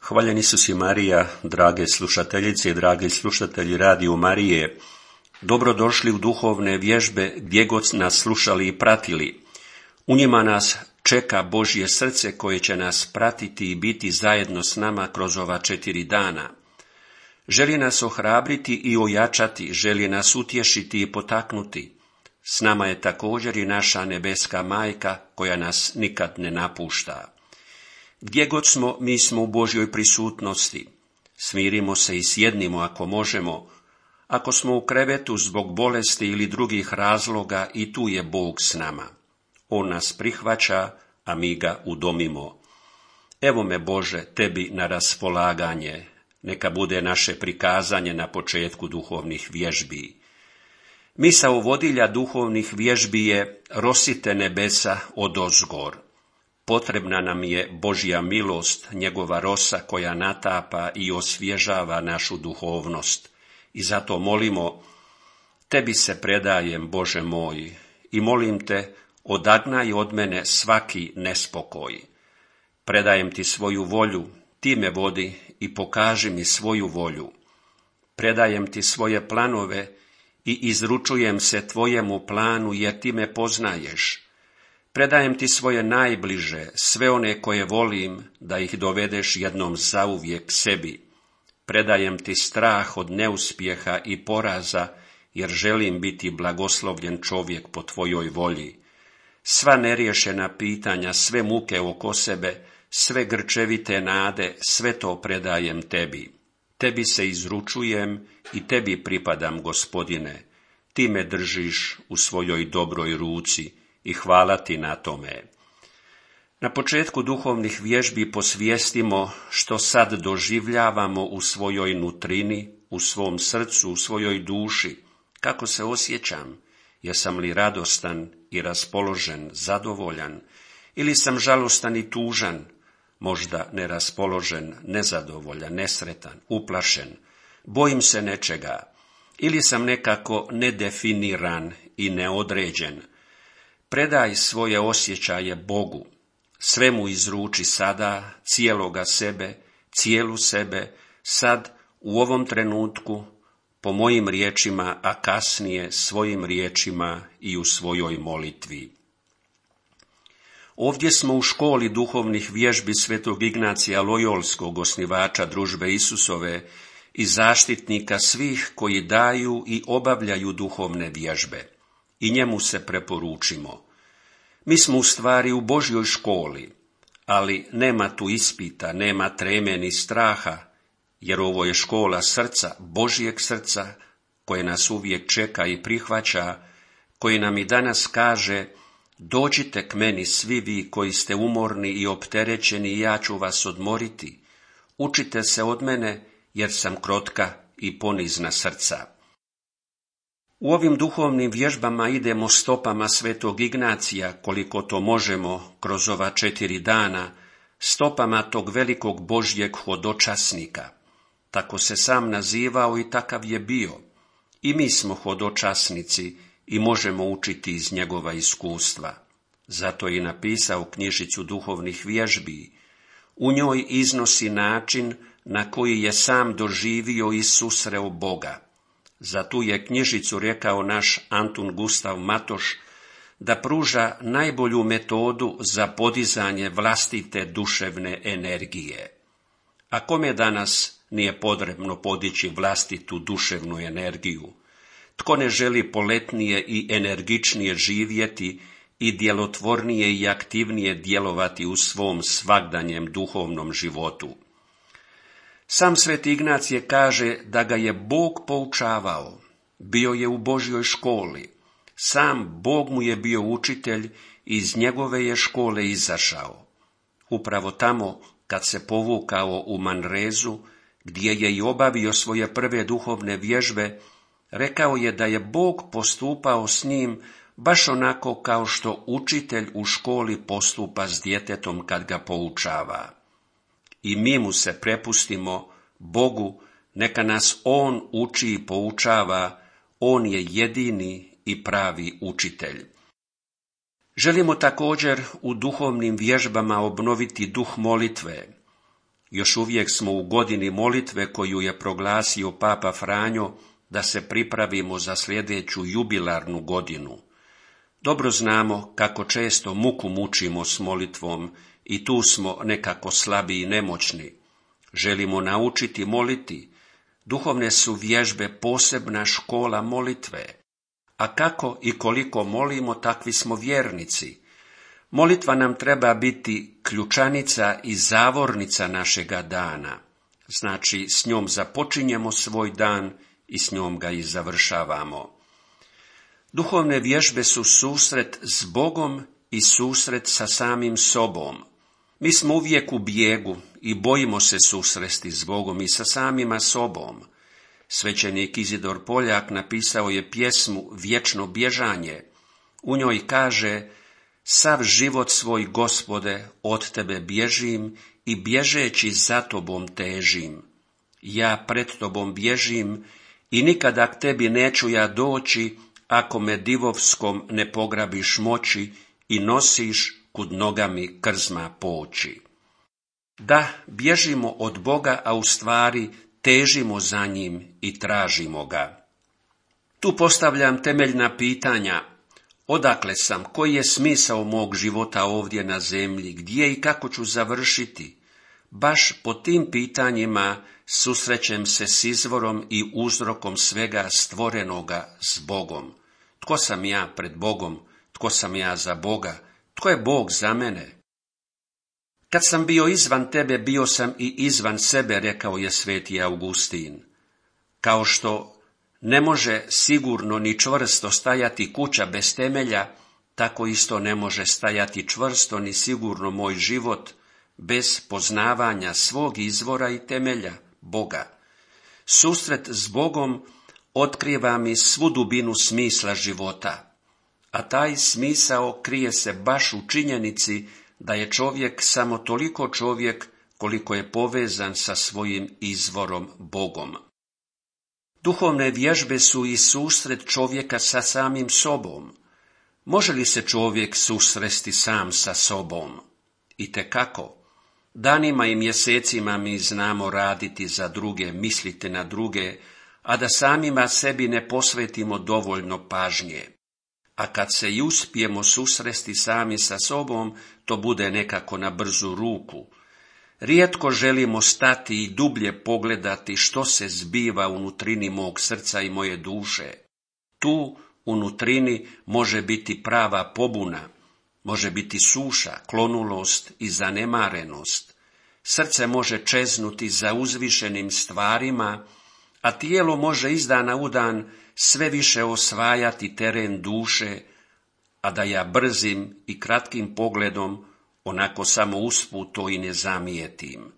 Hvaljen Isus i Marija, drage slušateljice i dragi slušatelji Radio Marije, dobrodošli u duhovne vježbe gdje god nas slušali i pratili. U njima nas čeka Božje srce koje će nas pratiti i biti zajedno s nama kroz ova 4 dana. Želi nas ohrabriti i ojačati, želi nas utješiti i potaknuti. S nama je također i naša nebeska majka koja nas nikad ne napušta. Gdje god smo, mi smo u Božjoj prisutnosti. Smirimo se i sjednimo ako možemo. Ako smo u krevetu zbog bolesti ili drugih razloga, i tu je Bog s nama. On nas prihvaća, a mi ga udomimo. Evo me, Bože, tebi na raspolaganje. Neka bude naše prikazanje na početku duhovnih vježbi. Misao vodilja duhovnih vježbi je: rosite nebesa odozgor. Potrebna nam je Božja milost, njegova rosa koja natapa i osvježava našu duhovnost. I zato molimo: tebi se predajem, Bože moj, i molim te, odagnaj od mene svaki nespokoj. Predajem ti svoju volju, ti me vodi i pokaži mi svoju volju. Predajem ti svoje planove i izručujem se tvojemu planu, jer ti me poznaješ. Predajem ti svoje najbliže, sve one koje volim, da ih dovedeš jednom zauvijek sebi. Predajem ti strah od neuspjeha i poraza, jer želim biti blagoslovljen čovjek po tvojoj volji. Sva neriješena pitanja, sve muke oko sebe, sve grčevite nade, sve to predajem tebi. Tebi se izručujem i tebi pripadam, Gospodine. Ti me držiš u svojoj dobroj ruci i hvala ti na tome. Na početku duhovnih vježbi posvijestimo što sad doživljavamo u svojoj nutrini, u svom srcu, u svojoj duši. Kako se osjećam? Jesam li radostan i raspoložen, zadovoljan, ili sam žalostan i tužan, možda neraspoložen, nezadovoljan, nesretan, uplašen, bojim se nečega, ili sam nekako nedefiniran i neodređen. Predaj svoje osjećaje Bogu, sve mu izruči sada, cijeloga sebe, cijelu sebe, sad, u ovom trenutku, po mojim riječima, a kasnije svojim riječima i u svojoj molitvi. Ovdje smo u školi duhovnih vježbi svetog Ignacija Lojolskog, osnivača družbe Isusove i zaštitnika svih koji daju i obavljaju duhovne vježbe. I njemu se preporučimo. Mi smo u stvari u Božjoj školi, ali nema tu ispita, nema treme ni straha, jer ovo je škola srca, Božjeg srca, koje nas uvijek čeka i prihvaća, koji nam i danas kaže: dođite k meni svi vi koji ste umorni i opterećeni, i ja ću vas odmoriti. Učite se od mene, jer sam krotka i ponizna srca. U ovim duhovnim vježbama idemo stopama svetog Ignacija, koliko to možemo kroz ova 4 dana, stopama tog velikog Božjeg hodočasnika. Tako se sam nazivao i takav je bio. I mi smo hodočasnici i možemo učiti iz njegova iskustva. Zato je i napisao knjižicu duhovnih vježbi. U njoj iznosi način na koji je sam doživio i susreo Boga. Za tu je knjižicu rekao naš Antun Gustav Matoš da pruža najbolju metodu za podizanje vlastite duševne energije. A kome danas nije potrebno podići vlastitu duševnu energiju? Tko ne želi poletnije i energičnije živjeti i djelotvornije i aktivnije djelovati u svom svagdanjem duhovnom životu? Sam sveti Ignacije kaže da ga je Bog poučavao, bio je u Božjoj školi, sam Bog mu je bio učitelj i iz njegove je škole izašao. Upravo tamo, kad se povukao u Manrezu, gdje je i obavio svoje prve duhovne vježbe, rekao je da je Bog postupao s njim baš onako kao što učitelj u školi postupa s djetetom kad ga poučava. I mi mu se prepustimo, Bogu, neka nas On uči i poučava, On je jedini i pravi učitelj. Želimo također u duhovnim vježbama obnoviti duh molitve. Još uvijek smo u godini molitve koju je proglasio Papa Franjo, da se pripravimo za sljedeću jubilarnu godinu. Dobro znamo kako često muku mučimo s molitvom i tu smo nekako slabi i nemoćni. Želimo naučiti moliti. Duhovne su vježbe posebna škola molitve. A kako i koliko molimo, takvi smo vjernici. Molitva nam treba biti ključanica i zavornica našega dana. Znači, s njom započinjemo svoj dan i s njom ga i završavamo. Duhovne vježbe su susret s Bogom i susret sa samim sobom. Mi smo uvijek u bijegu i bojimo se susresti s Bogom i sa samima sobom. Svećenik Izidor Poljak napisao je pjesmu Vječno bježanje. U njoj kaže: sav život svoj, Gospode, od tebe bježim i bježeći za tobom težim. Ja pred tobom bježim i nikada k tebi neću ja doći, ako me divovskom ne pograbiš moći i nosiš kud nogami krzma poći. Da, bježimo od Boga, a u stvari težimo za njim i tražimo ga. Tu postavljam temeljna pitanja. Odakle sam? Koji je smisao mog života ovdje na zemlji? Gdje i kako ću završiti? Baš po tim pitanjima susrećem se s izvorom i uzrokom svega stvorenoga, s Bogom. Tko sam ja pred Bogom? Tko sam ja za Boga? Tko je Bog za mene? Kad sam bio izvan tebe, bio sam i izvan sebe, rekao je sveti Augustin. Kao što ne može sigurno ni čvrsto stajati kuća bez temelja, tako isto ne može stajati čvrsto ni sigurno moj život bez poznavanja svog izvora i temelja, Boga. Susret s Bogom otkriva mi svu dubinu smisla života, a taj smisao krije se baš u činjenici da je čovjek samo toliko čovjek koliko je povezan sa svojim izvorom Bogom. Duhovne vježbe su i susret čovjeka sa samim sobom. Može li se čovjek susresti sam sa sobom? Itekako. Danima i mjesecima mi znamo raditi za druge, misliti na druge, a da samima sebi ne posvetimo dovoljno pažnje. A kad se i uspijemo susresti sami sa sobom, to bude nekako na brzu ruku. Rijetko želimo stati i dublje pogledati što se zbiva unutrini mog srca i moje duše. Tu unutrini može biti prava pobuna, može biti suša, klonulost i zanemarenost. Srce može čeznuti za uzvišenim stvarima, a tijelo može iz dana u dan sve više osvajati teren duše, a da ja brzim i kratkim pogledom onako samo usput to i ne zamijetim.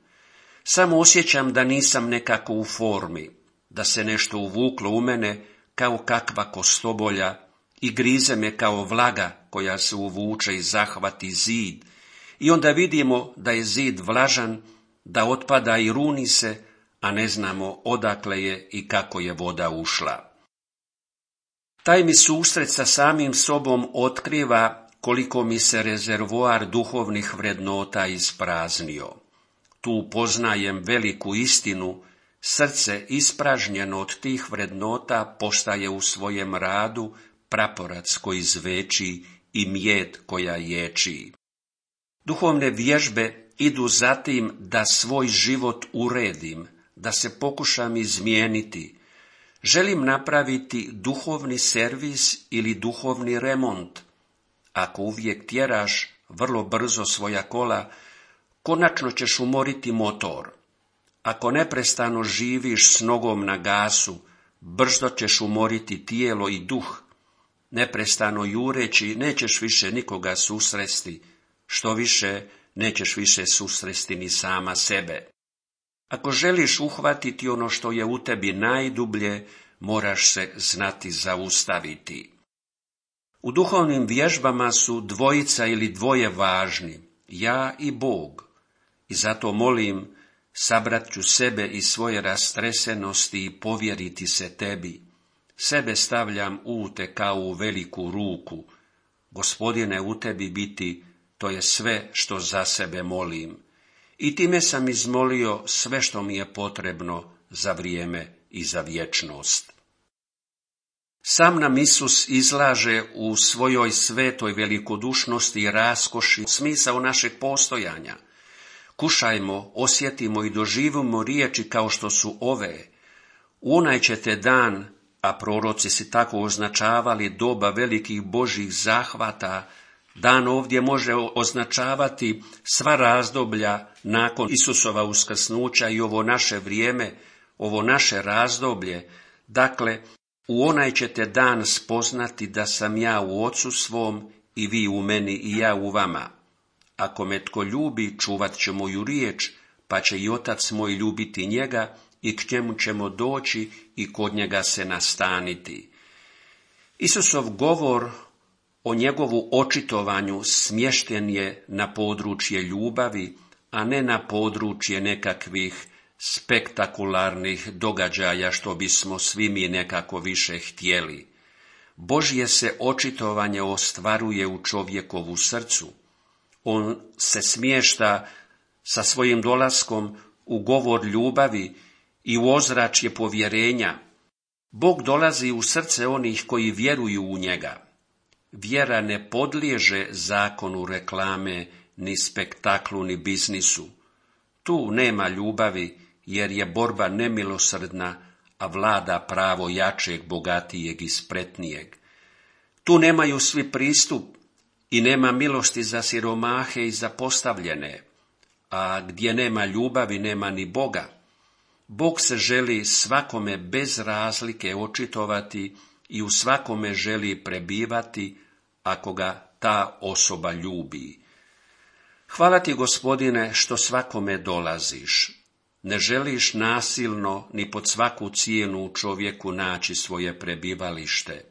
Samo osjećam da nisam nekako u formi, da se nešto uvuklo u mene kao kakva kostobolja i grize me kao vlaga koja se uvuče i zahvati zid, i onda vidimo da je zid vlažan, da otpada i runi se, a ne znamo odakle je i kako je voda ušla. Taj mi susret sa samim sobom otkriva koliko mi se rezervoar duhovnih vrednota ispraznio. Tu poznajem veliku istinu, srce ispražnjeno od tih vrednota postaje u svojem radu praporac koji zveči i mjed koja ječi. Duhovne vježbe idu za tim da svoj život uredim, da se pokušam izmijeniti. Želim napraviti duhovni servis ili duhovni remont. Ako uvijek tjeraš vrlo brzo svoja kola, konačno ćeš umoriti motor. Ako neprestano živiš s nogom na gasu, brzo ćeš umoriti tijelo i duh. Neprestano jureći nećeš više nikoga susresti, što više nećeš više susresti ni sama sebe. Ako želiš uhvatiti ono što je u tebi najdublje, moraš se znati zaustaviti. U duhovnim vježbama su dvojica ili dvoje važni, ja i Bog. I zato molim, sabrat ću sebe i svoje rastresenosti i povjeriti se tebi. Sebe stavljam u te kao u veliku ruku. Gospodine, u tebi biti, to je sve što za sebe molim. I time sam izmolio sve što mi je potrebno za vrijeme i za vječnost. Sam nam Isus izlaže u svojoj svetoj velikodušnosti i raskoši smisao našeg postojanja. Kušajmo, osjetimo i doživimo riječi kao što su ove. U onaj ćete dan, a proroci si tako označavali doba velikih Božjih zahvata, dan ovdje može označavati sva razdoblja nakon Isusova uskrsnuća i ovo naše vrijeme, ovo naše razdoblje. Dakle, u onaj ćete dan spoznati da sam ja u Ocu svom i vi u meni i ja u vama. Ako me tko ljubi, čuvat će moju riječ, pa će i Otac moj ljubiti njega i k njemu ćemo doći i kod njega se nastaniti. Isusov govor o njegovu očitovanju smješten je na područje ljubavi, a ne na područje nekakvih spektakularnih događaja što bismo svi mi nekako više htjeli. Božje se očitovanje ostvaruje u čovjekovu srcu. On se smješta sa svojim dolaskom u govor ljubavi i u ozračje povjerenja. Bog dolazi u srce onih koji vjeruju u njega. Vjera ne podliježe zakonu reklame, ni spektaklu, ni biznisu. Tu nema ljubavi, jer je borba nemilosrdna, a vlada pravo jačeg, bogatijeg i spretnijeg. Tu nemaju svi pristup i nema milosti za siromahe i zapostavljene, a gdje nema ljubavi nema ni Boga. Bog se želi svakome bez razlike očitovati i u svakome želi prebivati ako ga ta osoba ljubi. Hvala ti, Gospodine, što svakome dolaziš. Ne želiš nasilno ni pod svaku cijenu u čovjeku naći svoje prebivalište.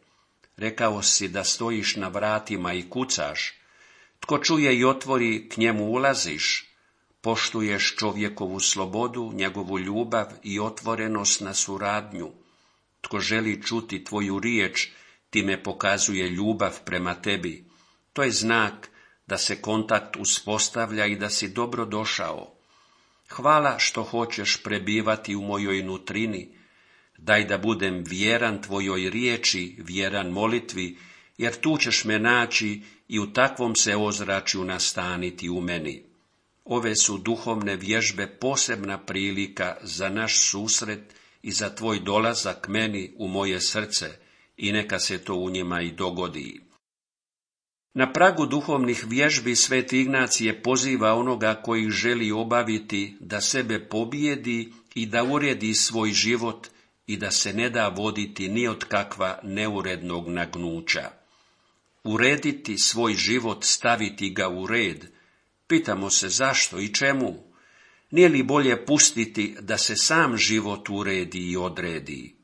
Rekao si da stojiš na vratima i kucaš. Tko čuje i otvori, k njemu ulaziš. Poštuješ čovjekovu slobodu, njegovu ljubav i otvorenost na suradnju. Tko želi čuti tvoju riječ, time pokazuje ljubav prema tebi. To je znak da se kontakt uspostavlja i da si dobro došao. Hvala što hoćeš prebivati u mojoj nutrini. Daj da budem vjeran tvojoj riječi, vjeran molitvi, jer tu ćeš me naći i u takvom se ozračju nastaniti u meni. Ove su duhovne vježbe posebna prilika za naš susret i za tvoj dolazak meni u moje srce i neka se to u njima i dogodi. Na pragu duhovnih vježbi Sveti Ignacije poziva onoga koji želi obaviti da sebe pobijedi i da uredi svoj život i da se ne da voditi ni od kakva neurednog nagnuća. Urediti svoj život, staviti ga u red. Pitamo se zašto i čemu? Nije li bolje pustiti da se sam život uredi i odredi?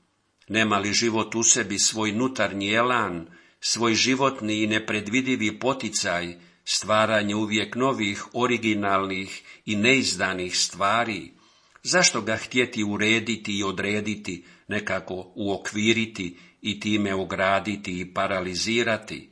Nema li život u sebi svoj nutarnji elan, svoj životni i nepredvidivi poticaj, stvaranje uvijek novih, originalnih i neizdanih stvari? Zašto ga htjeti urediti i odrediti, nekako uokviriti i time ograditi i paralizirati?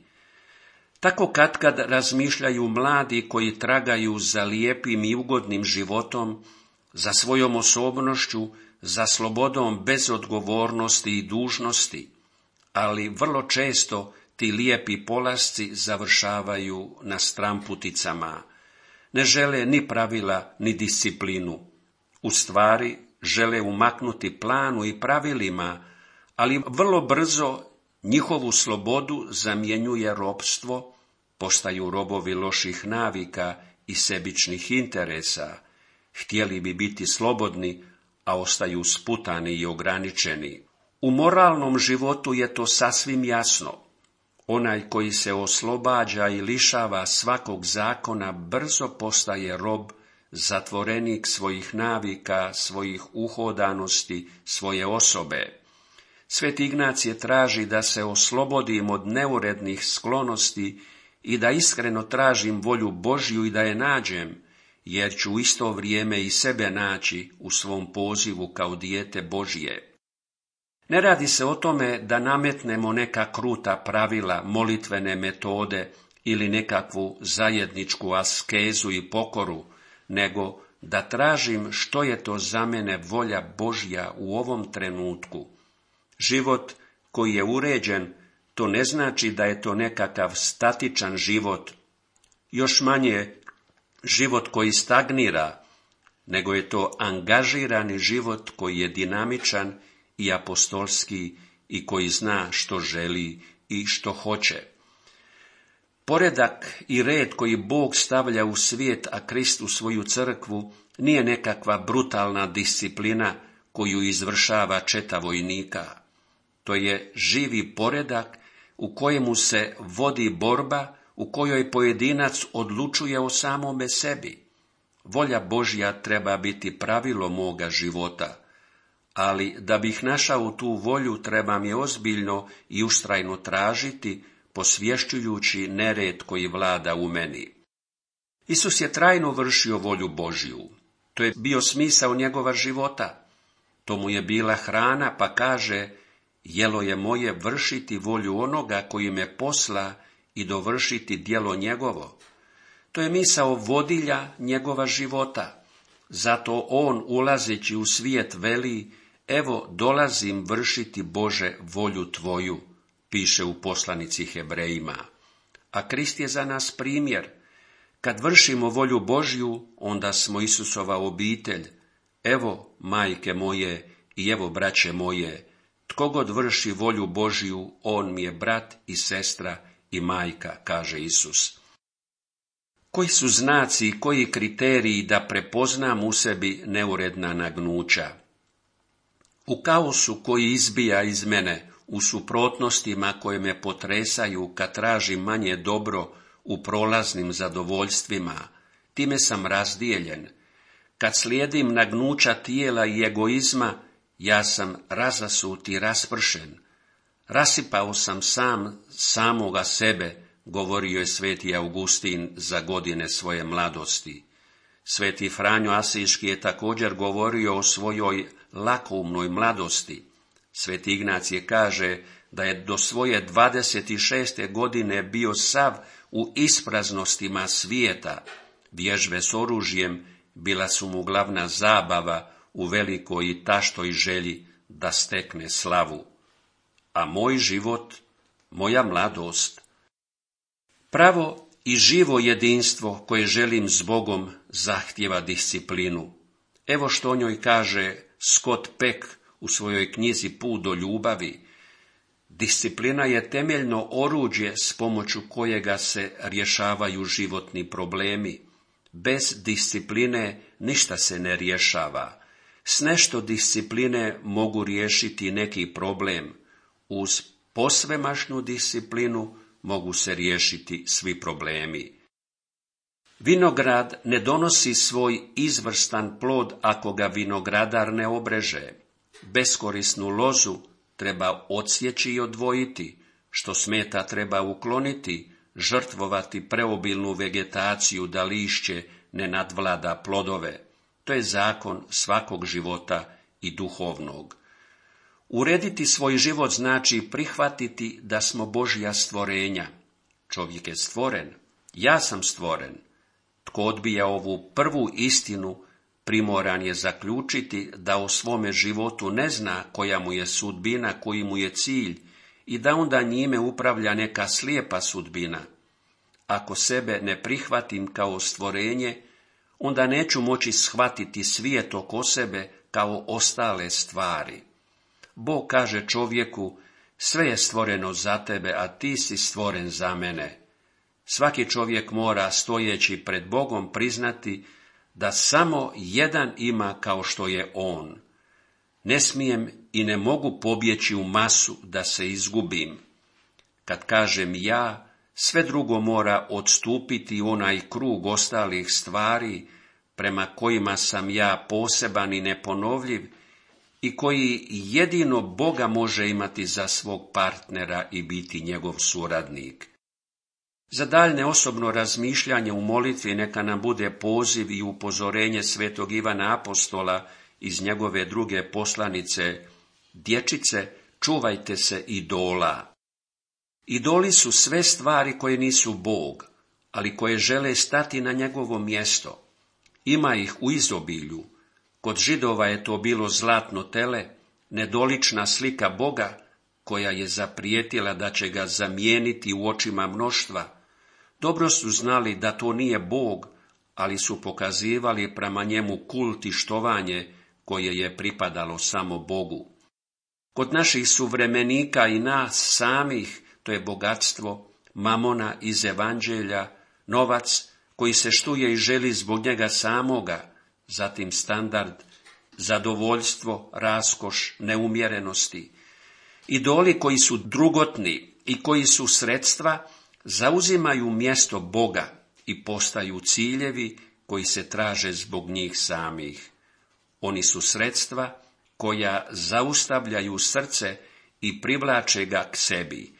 Tako katkad razmišljaju mladi koji tragaju za lijepim i ugodnim životom, za svojom osobnošću, za slobodom bez odgovornosti i dužnosti, ali vrlo često ti lijepi polasci završavaju na stramputicama. Ne žele ni pravila, ni disciplinu. U stvari žele umaknuti planu i pravilima, ali vrlo brzo njihovu slobodu zamjenjuje ropstvo, postaju robovi loših navika i sebičnih interesa. Htjeli bi biti slobodni, a ostaju sputani i ograničeni. U moralnom životu je to sasvim jasno. Onaj koji se oslobađa i lišava svakog zakona brzo postaje rob, zatvorenik svojih navika, svojih uhodanosti, svoje osobe. Sveti Ignacije traži da se oslobodim od neurednih sklonosti i da iskreno tražim volju Božju i da je nađem, jer ću u isto vrijeme i sebe naći u svom pozivu kao dijete Božje. Ne radi se o tome da nametnemo neka kruta pravila, molitvene metode ili nekakvu zajedničku askezu i pokoru, nego da tražim što je to za mene volja Božja u ovom trenutku. Život koji je uređen, to ne znači da je to nekakav statičan život, još manje život koji stagnira, nego je to angažirani život koji je dinamičan i apostolski i koji zna što želi i što hoće. Poredak i red koji Bog stavlja u svijet, a Krist u svoju crkvu, nije nekakva brutalna disciplina koju izvršava četa vojnika. To je živi poredak u kojemu se vodi borba, u kojoj pojedinac odlučuje o samome sebi. Volja Božja treba biti pravilo moga života, ali da bih našao tu volju trebam je ozbiljno i ustrajno tražiti, posvješćujući nered koji vlada u meni. Isus je trajno vršio volju Božju. To je bio smisao njegova života. To mu je bila hrana, pa kaže: jelo je moje vršiti volju onoga koji me posla i dovršiti djelo njegovo. To je misao vodilja njegova života. Zato on, ulazeći u svijet, veli: evo dolazim vršiti, Bože, volju tvoju, piše u poslanici Hebrejima. A Krist je za nas primjer. Kad vršimo volju Božju, onda smo Isusova obitelj. Evo, majke moje, i evo, braće moje, tko god vrši volju Božju, on mi je brat i sestra i majka, kaže Isus. Koji su znaci i koji kriteriji da prepoznam u sebi neuredna nagnuća? U kaosu koji izbija iz mene, u suprotnostima koje me potresaju kad tražim manje dobro u prolaznim zadovoljstvima, time sam razdijeljen. Kad slijedim nagnuća tijela i egoizma, ja sam razasut i raspršen. Rasipao sam samoga sebe, govorio je sveti Augustin za godine svoje mladosti. Sveti Franjo Asiški je također govorio o svojoj lakoumnoj mladosti. Sveti Ignacije kaže da je do svoje 26. godine bio sav u ispraznostima svijeta. Vježbe s oružjem bila su mu glavna zabava u velikoj i taštoj želji da stekne slavu. A moj život, moja mladost, pravo i živo jedinstvo koje želim s Bogom zahtijeva disciplinu. Evo što o njoj kaže Scott Peck u svojoj knjizi Put do ljubavi. Disciplina je temeljno oruđe s pomoću kojega se rješavaju životni problemi. Bez discipline ništa se ne rješava. S nešto discipline mogu riješiti neki problem. Uz posvemašnu disciplinu mogu se riješiti svi problemi. Vinograd ne donosi svoj izvrstan plod ako ga vinogradar ne obreže. Beskorisnu lozu treba odsjeći i odvojiti, što smeta treba ukloniti, žrtvovati preobilnu vegetaciju da lišće ne nadvlada plodove. To je zakon svakog života i duhovnog. Urediti svoj život znači prihvatiti da smo Božja stvorenja. Čovjek je stvoren, ja sam stvoren. Tko odbija ovu prvu istinu, primoran je zaključiti da o svome životu ne zna koja mu je sudbina, koji mu je cilj i da onda njime upravlja neka slijepa sudbina. Ako sebe ne prihvatim kao stvorenje, onda neću moći shvatiti svijet oko sebe kao ostale stvari. Bog kaže čovjeku, sve je stvoreno za tebe, a ti si stvoren za mene. Svaki čovjek mora, stojeći pred Bogom, priznati da samo jedan ima kao što je on. Ne smijem i ne mogu pobjeći u masu da se izgubim. Kad kažem ja, sve drugo mora odstupiti u onaj krug ostalih stvari prema kojima sam ja poseban i neponovljiv i koji jedino Boga može imati za svog partnera i biti njegov suradnik. Za daljnje osobno razmišljanje u molitvi neka nam bude poziv i upozorenje svetog Ivana Apostola iz njegove druge poslanice: dječice, čuvajte se idola. Idoli su sve stvari koje nisu Bog, ali koje žele stati na njegovo mjesto. Ima ih u izobilju. Kod Židova je to bilo zlatno tele, nedolična slika Boga, koja je zaprijetila da će ga zamijeniti u očima mnoštva. Dobro su znali da to nije Bog, ali su pokazivali prema njemu kult i štovanje koje je pripadalo samo Bogu. Kod naših suvremenika i nas samih to je bogatstvo, mamona iz evanđelja, novac koji se štuje i želi zbog njega samoga, zatim standard, zadovoljstvo, raskoš, neumjerenosti. Idoli koji su drugotni i koji su sredstva zauzimaju mjesto Boga i postaju ciljevi koji se traže zbog njih samih. Oni su sredstva koja zaustavljaju srce i privlače ga k sebi.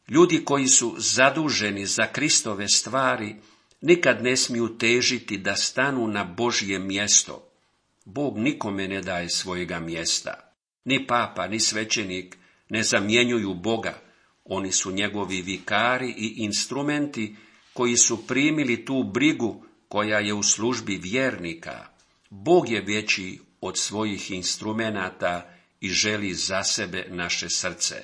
Ljudi koji su zaduženi za Kristove stvari nikad ne smiju težiti da stanu na Božje mjesto. Bog nikome ne daje svojega mjesta. Ni papa, ni svećenik ne zamjenjuju Boga. Oni su njegovi vikari i instrumenti koji su primili tu brigu koja je u službi vjernika. Bog je veći od svojih instrumenata i želi za sebe naše srce.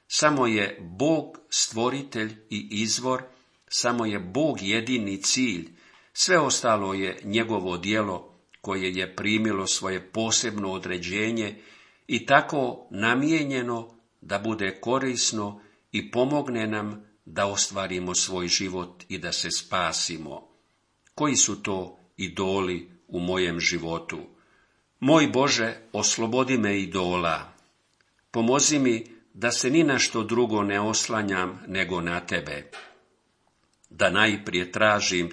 Samo je Bog stvoritelj i izvor, samo je Bog jedini cilj, sve ostalo je njegovo djelo koje je primilo svoje posebno određenje i tako namijenjeno da bude korisno i pomogne nam da ostvarimo svoj život i da se spasimo. Koji su to idoli u mojem životu? Moj Bože, oslobodi me idola. Pomozi mi da se ni na što drugo ne oslanjam nego na Tebe. Da najprije tražim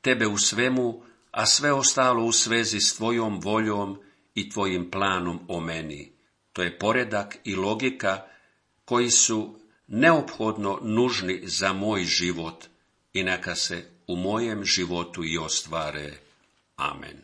Tebe u svemu, a sve ostalo u svezi s Tvojom voljom i Tvojim planom o meni. To je poredak i logika koji su neophodno nužni za moj život i neka se u mojem životu i ostvare. Amen.